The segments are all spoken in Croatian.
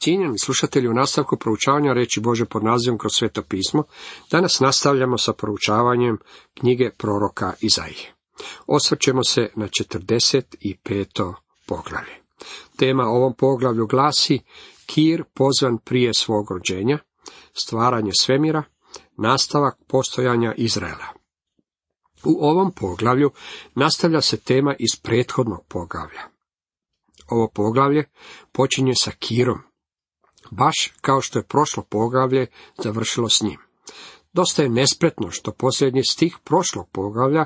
Cijenjeni slušatelji, u nastavku proučavanja riječi Bože pod nazivom Kroz sveto pismo, danas nastavljamo sa proučavanjem knjige proroka Izaije. Osvrćemo se na 45. poglavlje. Tema ovom poglavlju glasi Kir pozvan prije svog rođenja, stvaranje svemira, nastavak postojanja Izraela. U ovom poglavlju nastavlja se tema iz prethodnog poglavlja. Ovo poglavlje počinje sa Kirom, baš kao što je prošlo poglavlje završilo s njim. Dosta je nespretno što posljednji stih prošlog poglavlja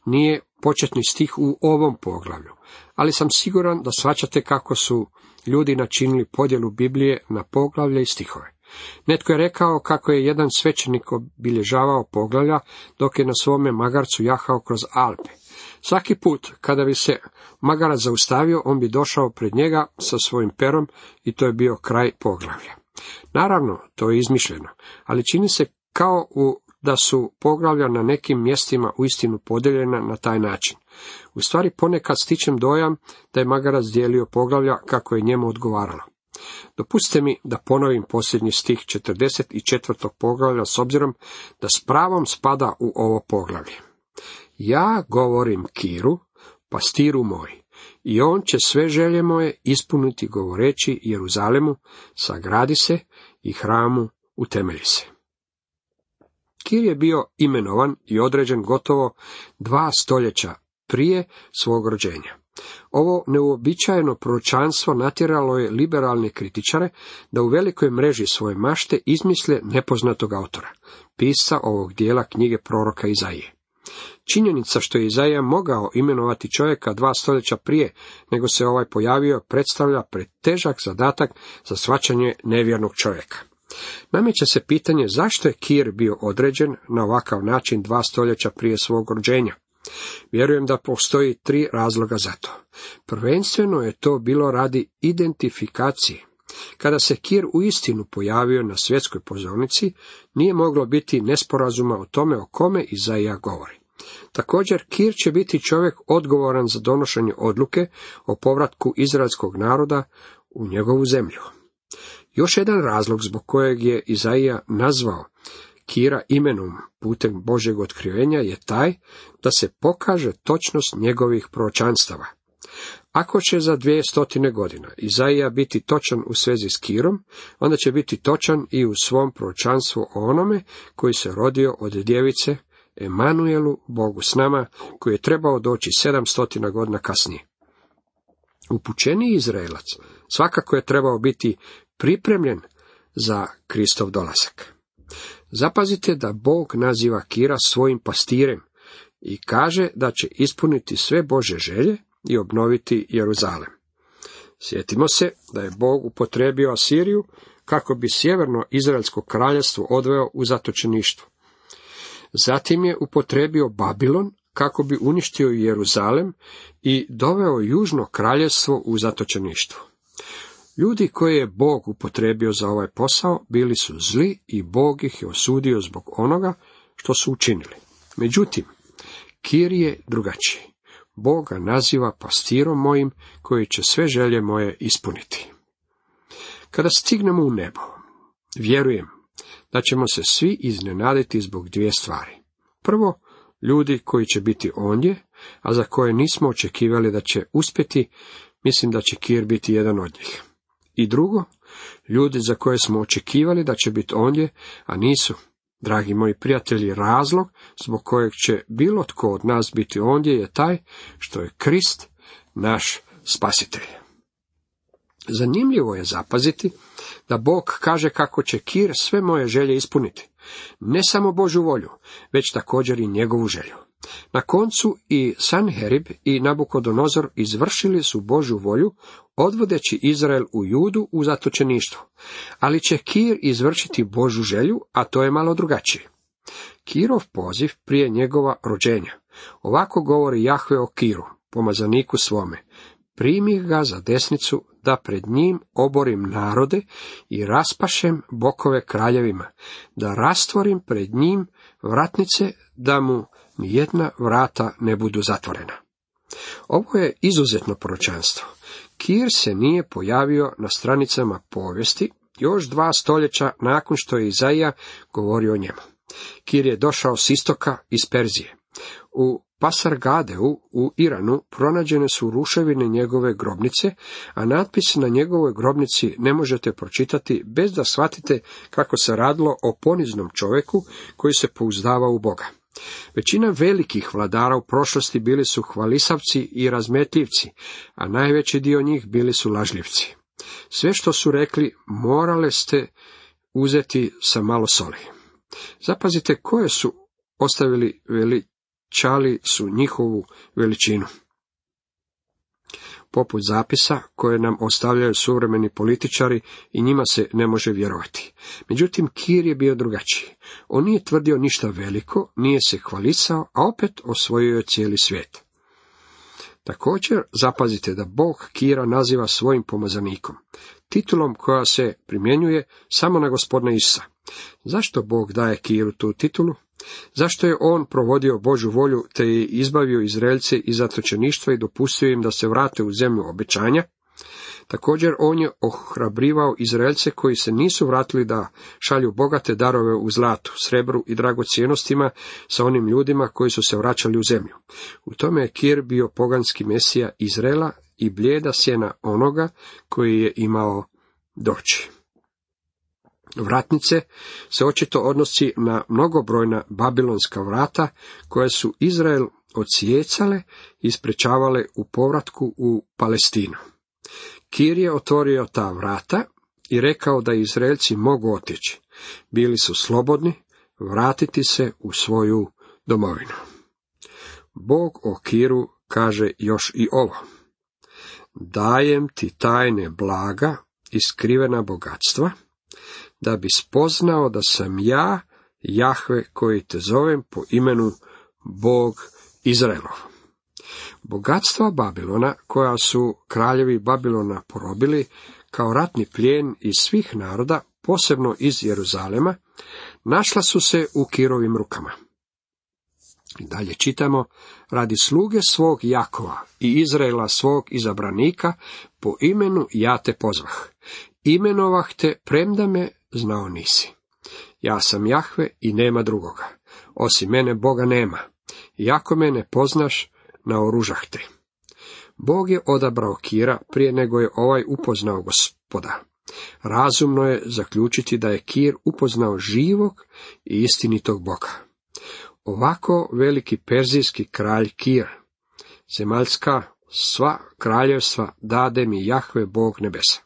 nije početni stih u ovom poglavlju, ali sam siguran da shvaćate kako su ljudi načinili podjelu Biblije na poglavlje i stihove. Netko je rekao kako je jedan svećenik obilježavao poglavlja dok je na svome magarcu jahao kroz Alpe. Svaki put kada bi se magarac zaustavio, on bi došao pred njega sa svojim perom i to je bio kraj poglavlja. Naravno, to je izmišljeno, ali čini se kao da su poglavlja na nekim mjestima uistinu podijeljena na taj način. U stvari ponekad stičem dojam da je magarac dijelio poglavlja kako je njemu odgovaralo. Dopustite mi da ponovim posljednji stih 44. poglavlja s obzirom da s pravom spada u ovo poglavlje. Ja govorim Kiru, pastiru moj, i on će sve želje moje ispuniti govoreći Jeruzalemu, sagradi se i hramu utemelji se. Kir je bio imenovan i određen gotovo 2 stoljeća prije svog rođenja. Ovo neuobičajeno proročanstvo natjeralo je liberalne kritičare da u velikoj mreži svoje mašte izmisle nepoznatog autora, pisca ovog dijela knjige proroka Izaije. Činjenica što je Izaija mogao imenovati čovjeka 2 stoljeća prije nego se ovaj pojavio predstavlja pretežak zadatak za shvaćanje nevjernog čovjeka. Nameće se pitanje zašto je Kir bio određen na ovakav način 2 stoljeća prije svog rođenja. Vjerujem da postoji 3 razloga za to. Prvenstveno je to bilo radi identifikacije. Kada se Kir uistinu pojavio na svjetskoj pozornici, nije moglo biti nesporazuma o tome o kome Izaija govori. Također, Kir će biti čovjek odgovoran za donošenje odluke o povratku izraelskog naroda u njegovu zemlju. Još jedan razlog zbog kojeg je Izaija nazvao Kira imenom putem Božjeg otkrivenja je taj da se pokaže točnost njegovih proročanstava. Ako će za 200 godina Izaija biti točan u svezi s Kirom, onda će biti točan i u svom proročanstvu o onome koji se rodio od djevice, Emanuelu, Bogu s nama, koji je trebao doći 700 godina kasnije. Upućeniji Izraelac svakako je trebao biti pripremljen za Kristov dolazak. Zapazite da Bog naziva Kira svojim pastirem i kaže da će ispuniti sve Božje želje i obnoviti Jeruzalem. Sjetimo se da je Bog upotrijebio Asiriju kako bi sjeverno Izraelsko kraljevstvo odveo u zatočeništvo. Zatim je upotrijebio Babilon kako bi uništio Jeruzalem i doveo južno kraljevstvo u zatočeništvo. Ljudi koje je Bog upotrijebio za ovaj posao bili su zli i Bog ih je osudio zbog onoga što su učinili. Međutim, Kir je drugačiji. Bog ga naziva pastirom mojim koji će sve želje moje ispuniti. Kada stignemo u nebo, vjerujem da ćemo se svi iznenaditi zbog 2 stvari. Prvo, ljudi koji će biti ondje, a za koje nismo očekivali da će uspjeti, mislim da će Kir biti jedan od njih. I drugo, ljudi za koje smo očekivali da će biti ondje, a nisu. Dragi moji prijatelji, razlog zbog kojeg će bilo tko od nas biti ondje je taj što je Krist naš spasitelj. Zanimljivo je zapaziti da Bog kaže kako će Kir sve moje želje ispuniti. Ne samo Božju volju, već također i njegovu želju. Na koncu i Sanherib i Nabukodonozor izvršili su Božju volju, odvodeći Izrael u Judu u zatočeništvo. Ali će Kir izvršiti Božju želju, a to je malo drugačije. Kirov poziv prije njegova rođenja. Ovako govori Jahve o Kiru, pomazaniku svome. Primi ga za desnicu, da pred njim oborim narode i raspašem bokove kraljevima, da rastvorim pred njim vratnice, da mu nijedna vrata ne budu zatvorena. Ovo je izuzetno proročanstvo. Kir se nije pojavio na stranicama povijesti još 2 stoljeća nakon što je Izaija govorio o njemu. Kir je došao s istoka iz Perzije. U Pasargadeu u Iranu pronađene su ruševine njegove grobnice, a natpis na njegovoj grobnici ne možete pročitati bez da shvatite kako se radilo o poniznom čovjeku koji se pouzdava u Boga. Većina velikih vladara u prošlosti bili su hvalisavci i razmetljivci, a najveći dio njih bili su lažljivci. Sve što su rekli morale ste uzeti sa malo soli. Zapazite koje su ostavili, veličali su njihovu veličinu. Poput zapisa koje nam ostavljaju suvremeni političari i njima se ne može vjerovati. Međutim, Kir je bio drugačiji. On nije tvrdio ništa veliko, nije se hvalisao, a opet osvojio je cijeli svijet. Također, zapazite da Bog Kira naziva svojim pomazanikom, titulom koja se primjenjuje samo na Gospodina Isusa. Zašto Bog daje Kiru tu titulu? Zašto je on provodio Božju volju te je izbavio Izraelce iz zatočeništva i dopustio im da se vrate u zemlju obećanja? Također on je ohrabrivao Izraelce koji se nisu vratili da šalju bogate darove u zlatu, srebru i dragocjenostima sa onim ljudima koji su se vraćali u zemlju. U tome je Kir bio poganski mesija Izraela i blijeda sjena onoga koji je imao doći. Vratnice se očito odnosi na mnogobrojna babilonska vrata koje su Izrael odsjecale i sprečavale u povratku u Palestinu. Kir je otvorio ta vrata i rekao da Izraelci mogu otići. Bili su slobodni vratiti se u svoju domovinu. Bog o Kiru kaže još i ovo. Dajem ti tajne blaga i skrivena bogatstva, da bi spoznao da sam ja, Jahve, koji te zovem po imenu Bog Izraelov. Bogatstva Babilona, koja su kraljevi Babilona porobili kao ratni plijen iz svih naroda, posebno iz Jeruzalema, našla su se u Kirovim rukama. I dalje čitamo, radi sluge svog Jakova i Izraela svog izabranika, po imenu ja te pozvah. Imenovah te, premda me znao nisi. Ja sam Jahve i nema drugoga. Osim mene Boga nema. Iako me ne poznaš, naoružah te. Bog je odabrao Kira prije nego je ovaj upoznao Gospoda. Razumno je zaključiti da je Kir upoznao živog i istinitog Boga. Ovako veliki perzijski kralj Kir, zemaljska sva kraljevstva dade mi Jahve Bog nebesa.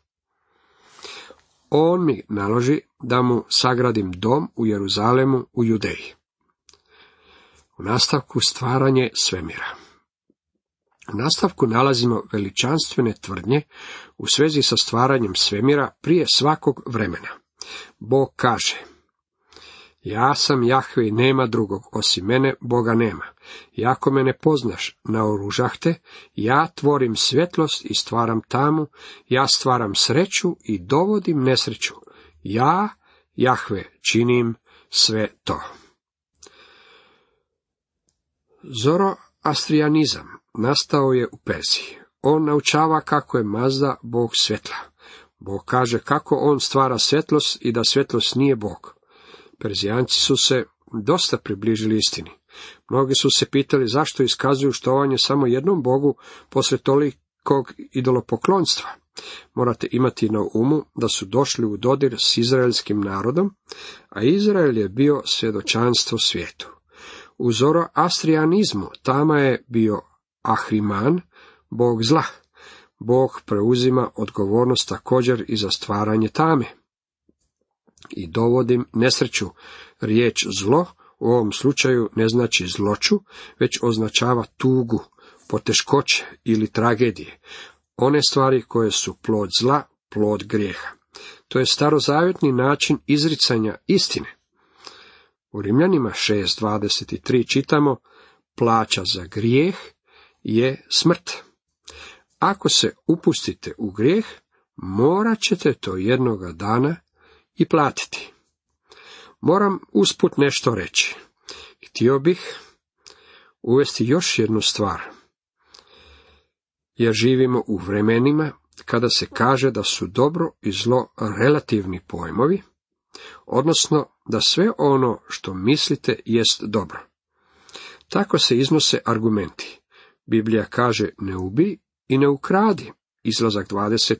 On mi naloži da mu sagradim dom u Jeruzalemu u Judeji. U nastavku stvaranje svemira. U nastavku nalazimo veličanstvene tvrdnje u svezi sa stvaranjem svemira prije svakog vremena. Bog kaže, ja sam Jahve i nema drugog, osim mene Boga nema. Iako me ne poznaš, naoružah te, ja tvorim svjetlost i stvaram tamu, ja stvaram sreću i dovodim nesreću. Ja, Jahve, činim sve to. Zoroastrijanizam nastao je u Perziji. On naučava kako je Mazda Bog svjetla. Bog kaže kako on stvara svjetlost i da svjetlost nije Bog. Perzijanci su se dosta približili istini. Mnogi su se pitali zašto iskazuju štovanje samo jednom Bogu poslije tolikog idolopoklonstva. Morate imati na umu da su došli u dodir s izraelskim narodom, a Izrael je bio svjedočanstvo svijetu. U zoroastrijanizmu tama je bio Ahriman, bog zla. Bog preuzima odgovornost također i za stvaranje tame. I dovodim nesreću. Riječ zlo u ovom slučaju ne znači zloću, već označava tugu, poteškoće ili tragedije. One stvari koje su plod zla, plod grijeha. To je starozavjetni način izricanja istine. U Rimljanima 6:23 čitamo, plaća za grijeh je smrt. Ako se upustite u grijeh, morat ćete to jednoga dana i platiti. Moram usput nešto reći. Htio bih uvesti još jednu stvar. Jer živimo u vremenima kada se kaže da su dobro i zlo relativni pojmovi, odnosno da sve ono što mislite jest dobro. Tako se iznose argumenti. Biblija kaže ne ubij i ne ukradi, Izlazak 20,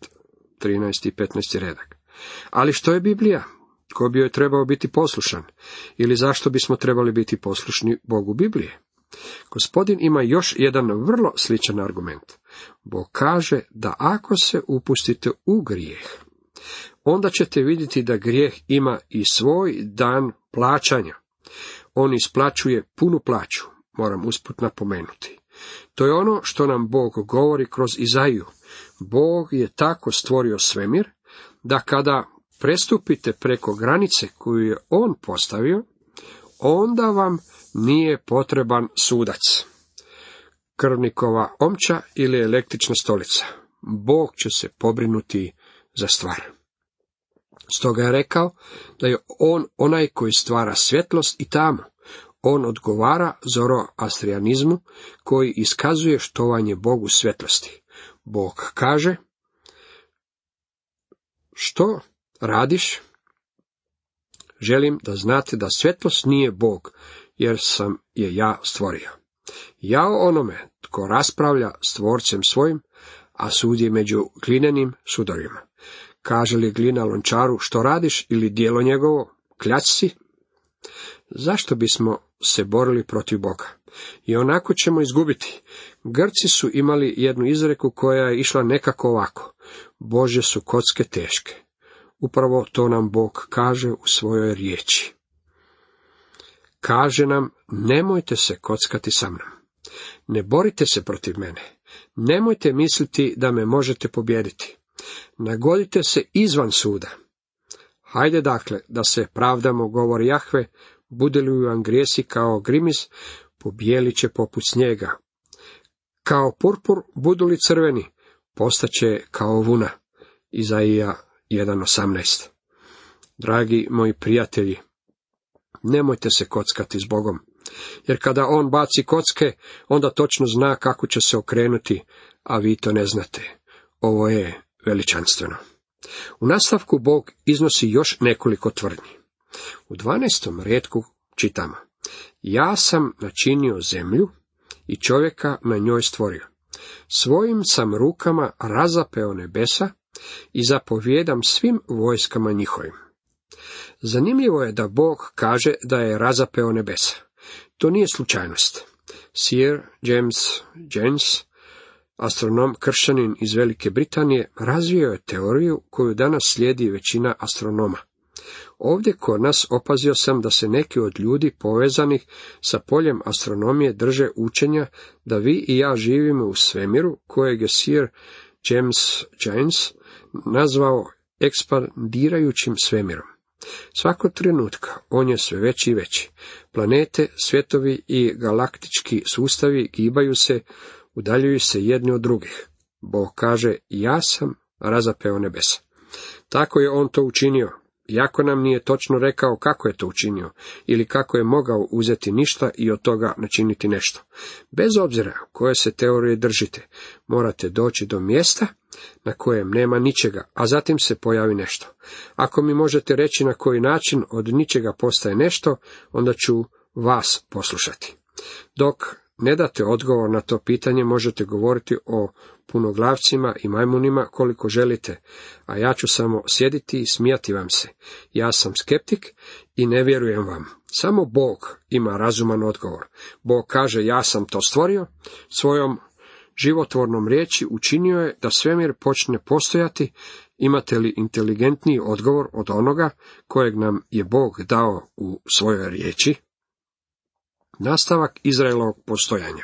13 i 15 redak. Ali što je Biblija? Ko bi joj trebao biti poslušan? Ili zašto bismo trebali biti poslušni Bogu Biblije? Gospodin ima još jedan vrlo sličan argument. Bog kaže da ako se upustite u grijeh, onda ćete vidjeti da grijeh ima i svoj dan plaćanja. On isplaćuje punu plaću, moram usput napomenuti. To je ono što nam Bog govori kroz Izaiju. Bog je tako stvorio svemir, da kada prestupite preko granice koju je on postavio, onda vam nije potreban sudac, krvnikova omča ili električna stolica. Bog će se pobrinuti za stvar. Stoga je rekao da je on onaj koji stvara svjetlost i tamu. On odgovara zoroastrijanizmu koji iskazuje štovanje Bogu svjetlosti. Bog kaže, što radiš? Želim da znate da svjetlost nije Bog, jer sam je ja stvorio. Jao onome tko raspravlja s tvorcem svojim, a sudi među glinenim sudovima. Kaže li glina lončaru, što radiš, ili djelo njegovo, kljač si? Zašto bismo se borili protiv Boga? I onako ćemo izgubiti. Grci su imali jednu izreku koja je išla nekako ovako. Božje su kocke teške. Upravo to nam Bog kaže u svojoj riječi. Kaže nam, nemojte se kockati sa mnom. Ne borite se protiv mene. Nemojte misliti da me možete pobijediti. Nagodite se izvan suda. Hajde dakle da se pravdamo, govori Jahve, bude li vam grijesi kao grimis, pobijelit će poput snijega. Kao purpur budu li crveni, postaće kao vuna. Izaija 1.18. Dragi moji prijatelji, nemojte se kockati s Bogom, jer kada on baci kocke, onda točno zna kako će se okrenuti, a vi to ne znate. Ovo je veličanstveno. U nastavku Bog iznosi još nekoliko tvrdnji. U 12. retku čitamo: ja sam načinio zemlju i čovjeka na njoj stvorio. Svojim sam rukama razapeo nebesa i zapovjedam svim vojskama njihovim. Zanimljivo je da Bog kaže da je razapeo nebesa. To nije slučajnost. Sir James Jones, astronom kršćanin iz Velike Britanije, razvio je teoriju koju danas slijedi većina astronoma. Ovdje kod nas opazio sam da se neki od ljudi povezanih sa poljem astronomije drže učenja da vi i ja živimo u svemiru kojeg je Sir James Jones nazvao ekspandirajućim svemirom. Svakog trenutka on je sve veći i veći. Planete, svjetovi i galaktički sustavi gibaju se, udaljuju se jedni od drugih. Bog kaže, ja sam razapeo nebesa. Tako je on to učinio, iako nam nije točno rekao kako je to učinio, ili kako je mogao uzeti ništa i od toga načiniti nešto. Bez obzira koje se teorije držite, morate doći do mjesta na kojem nema ničega, a zatim se pojavi nešto. Ako mi možete reći na koji način od ničega postaje nešto, onda ću vas poslušati. Dok ne date odgovor na to pitanje, možete govoriti o punoglavcima i majmunima koliko želite, a ja ću samo sjediti i smijati vam se. Ja sam skeptik i ne vjerujem vam. Samo Bog ima razuman odgovor. Bog kaže, ja sam to stvorio, svojom životvornom riječi učinio je da svemir počne postojati. Imate li inteligentniji odgovor od onoga kojeg nam je Bog dao u svojoj riječi? Nastavak Izraelovog postojanja.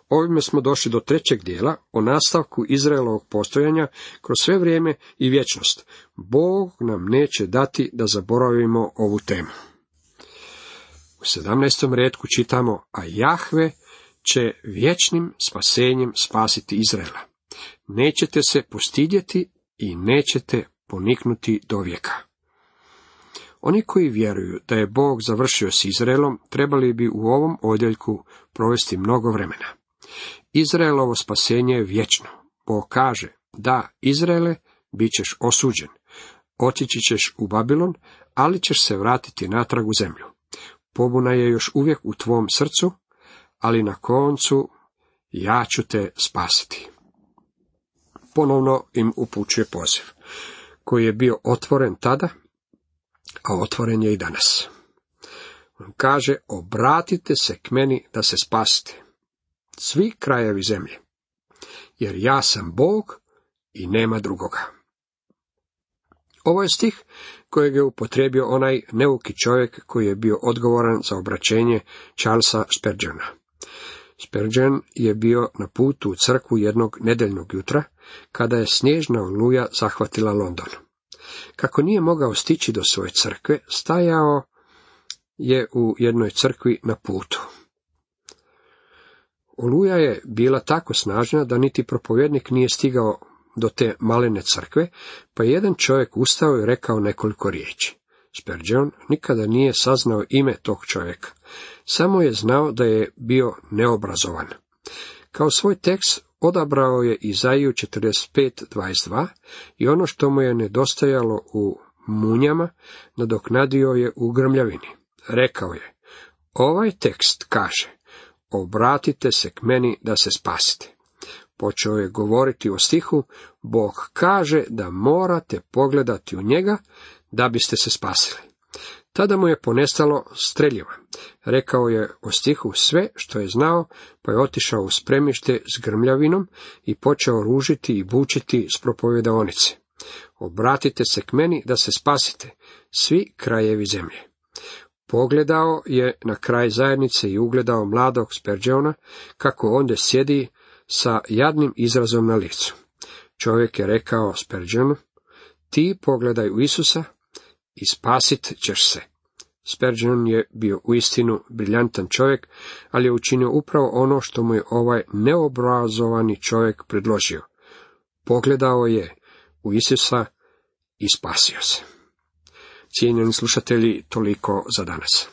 Ovime smo došli do trećeg dijela o nastavku Izraelovog postojanja kroz sve vrijeme i vječnost. Bog nam neće dati da zaboravimo ovu temu. U 17. retku čitamo, a Jahve će vječnim spasenjem spasiti Izraela. Nećete se postidjeti i nećete poniknuti do vijeka. Oni koji vjeruju da je Bog završio s Izraelom, trebali bi u ovom odjeljku provesti mnogo vremena. Izraelovo spasenje je vječno. Bog kaže, Da, Izraele, bit ćeš osuđen. Otići ćeš u Babilon, ali ćeš se vratiti natrag u zemlju. Pobuna je još uvijek u tvom srcu, ali na koncu ja ću te spasiti. Ponovno im upućuje poziv, koji je bio otvoren tada, a otvoren je i danas. On kaže, obratite se k meni da se spasite, svi krajevi zemlje, jer ja sam Bog i nema drugoga. Ovo je stih kojeg je upotrijebio onaj neuki čovjek koji je bio odgovoran za obraćenje Charlesa Spurgeona. Spurgeon je bio na putu u crkvu jednog nedeljnog jutra, kada je snježna oluja zahvatila London. Kako nije mogao stići do svoje crkve, stajao je u jednoj crkvi na putu. Oluja je bila tako snažna da niti propovjednik nije stigao do te malene crkve, pa je jedan čovjek ustao i rekao nekoliko riječi. Spurgeon nikada nije saznao ime tog čovjeka, samo je znao da je bio neobrazovan. Kao svoj tekst odabrao je Izaiju 45:22 i ono što mu je nedostajalo u munjama nadoknadio je u grmljavini. Rekao je, ovaj tekst kaže, obratite se k meni da se spasite. Počeo je govoriti o stihu, Bog kaže da morate pogledati u njega da biste se spasili. Tada mu je ponestalo streljiva. Rekao je o stihu sve što je znao, pa je otišao u spremište s grmljavinom i počeo ružiti i bučiti s propovedaonice. Obratite se k meni da se spasite, svi krajevi zemlje. Pogledao je na kraj zajednice i ugledao mladog Spurgeona, kako ondje sjedi sa jadnim izrazom na licu. Čovjek je rekao Spurgeonu, ti pogledaj u Isusa i spasit ćeš se. Spurgeon je bio uistinu briljantan čovjek, ali je učinio upravo ono što mu je ovaj neobrazovani čovjek predložio. Pogledao je u Isusa i spasio se. Cijenjeni slušatelji, toliko za danas.